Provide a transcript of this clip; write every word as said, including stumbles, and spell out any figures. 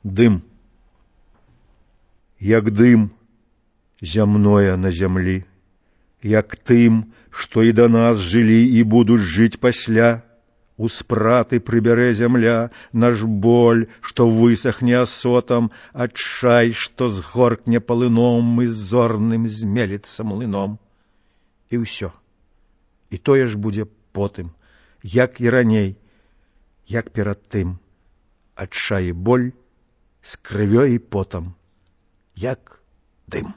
Дым. Як дым зямное на зямлі, як тым, што і да нас жылі і будуць жыць пасля. У спраты прыбярэ зямля наш боль, што высахне асотам, адчай, што згоркне палыном і зорным змеліцца млыном. І ўсё. І тое ж будзе потым, як і раней, як перад тым. Адчай і боль з крывёй і потам, як дым.